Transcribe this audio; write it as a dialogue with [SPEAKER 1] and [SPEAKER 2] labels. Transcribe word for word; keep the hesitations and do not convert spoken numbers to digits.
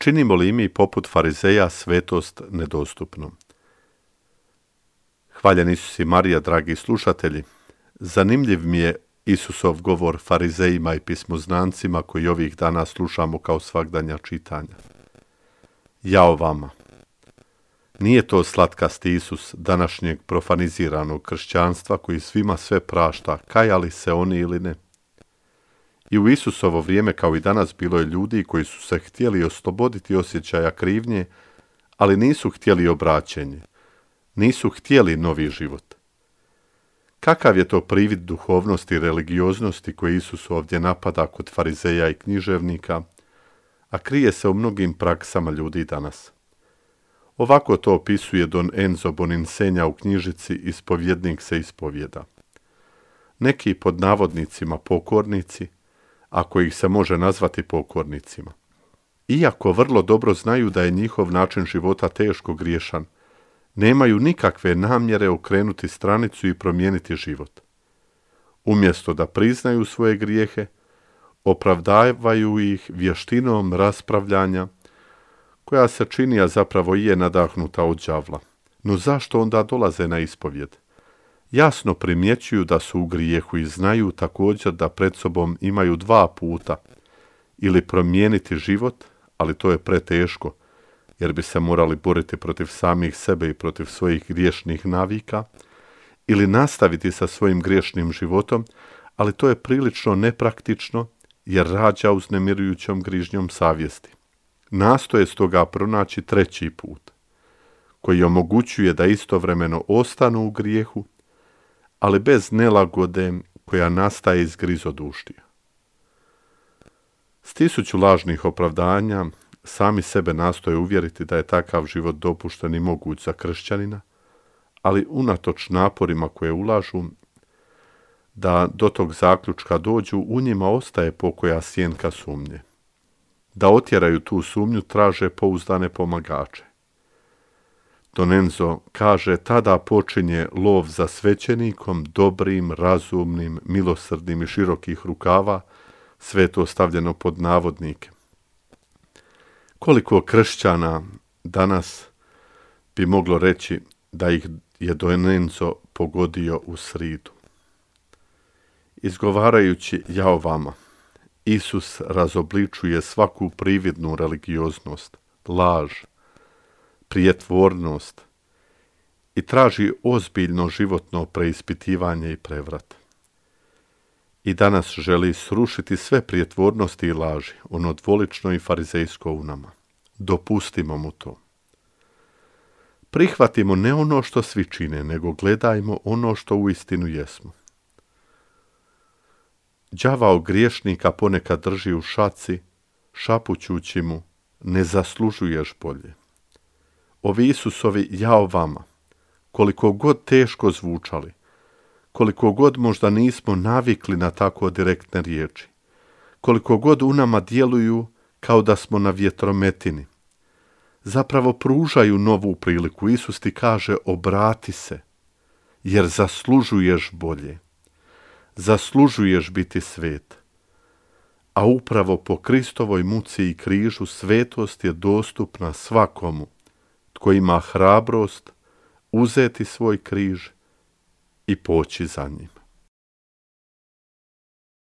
[SPEAKER 1] činimo li mi poput farizeja svetost nedostupnom? Hvaljen Isus i Marija, dragi slušatelji. Zanimljiv mi je Isusov govor farizejima i pismoznancima koji ovih dana slušamo kao svagdanja čitanja. Jao vama! Nije to slatkasti Isus današnjeg profaniziranog kršćanstva koji svima sve prašta, kajali se oni ili ne. I u Isusovo vrijeme kao i danas bilo je ljudi koji su se htjeli osloboditi osjećaja krivnje, ali nisu htjeli obraćenje, nisu htjeli novi život. Kakav je to privid duhovnosti i religioznosti koji Isus ovdje napada kod farizeja i književnika, a krije se u mnogim praksama ljudi danas? Ovako to opisuje Don Enzo Boninsenja u knjižici Ispovjednik se ispovjeda. Neki pod navodnicima pokornici, ako ih se može nazvati pokornicima, iako vrlo dobro znaju da je njihov način života teško griješan, nemaju nikakve namjere okrenuti stranicu i promijeniti život. Umjesto da priznaju svoje grijehe, opravdavaju ih vještinom raspravljanja, koja se čini, a zapravo i je nadahnuta od đavla. No zašto onda dolaze na ispovjed? Jasno primjećuju da su u grijehu i znaju također da pred sobom imaju dva puta, ili promijeniti život, ali to je preteško, jer bi se morali boriti protiv samih sebe i protiv svojih griješnih navika, ili nastaviti sa svojim griješnim životom, ali to je prilično nepraktično, jer rađa uznemirujućom grižnjom savjesti. Nastoje stoga pronaći treći put, koji omogućuje da istovremeno ostanu u grijehu, ali bez nelagode koja nastaje iz grizoduštija. S tisuću lažnih opravdanja sami sebe nastoje uvjeriti da je takav život dopušten i moguć za kršćanina, ali unatoč naporima koje ulažu da do tog zaključka dođu, u njima ostaje pokoja sjenka sumnje. Da otjeraju tu sumnju traže pouzdane pomagače. Don Enzo kaže, tada počinje lov za svećenikom, dobrim, razumnim, milosrdnim i širokih rukava, sve to stavljeno pod navodnike. Koliko kršćana danas bi moglo reći da ih je Don Enzo pogodio u sridu? Izgovarajući jao vama, Isus razobličuje svaku prividnu religioznost, laž, prijetvornost i traži ozbiljno životno preispitivanje i prevrat. I danas želi srušiti sve prijetvornosti i laži, ono dvolično i farizejsko u nama. Dopustimo mu to. Prihvatimo ne ono što svi čine, nego gledajmo ono što uistinu jesmo. Đavao griješnika ponekad drži u šaci, šapućući mu, ne zaslužuješ bolje. Ovi Isusovi jao vama, koliko god teško zvučali, koliko god možda nismo navikli na tako direktne riječi, koliko god u nama djeluju kao da smo na vjetrometini, zapravo pružaju novu priliku. Isus ti kaže, obrati se, jer zaslužuješ bolje. Zaslužuješ biti svet. A upravo po Kristovoj muci i križu svetost je dostupna svakomu tko ima hrabrost uzeti svoj križ i poći za njim.